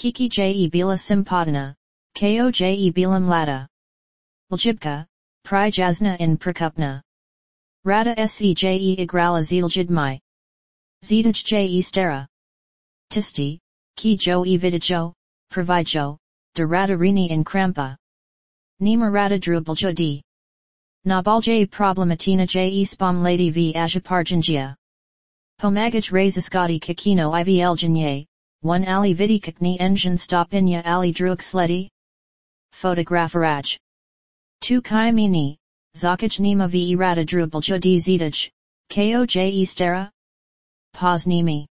Kiki je bila simpadana, ko je bilam lada. Ljubka, prijazna in prakupna. Rada se je igrala ziljidmai. Zidaj je stara. Tisti, ki jo vidijo, pravijo, da rada rini in krampa. Nima rada drubaljo di. Nabalje problematina je spom lady v ajaparjanjia. Pomagaj raziskati kakino ivljanye, one ali vidi kakni engine stopinya ali drug sledi? Fotografaraj. Tu kaimini, zakaj nima v rada drubaljo di zidaj, ko je stara? Poznimi.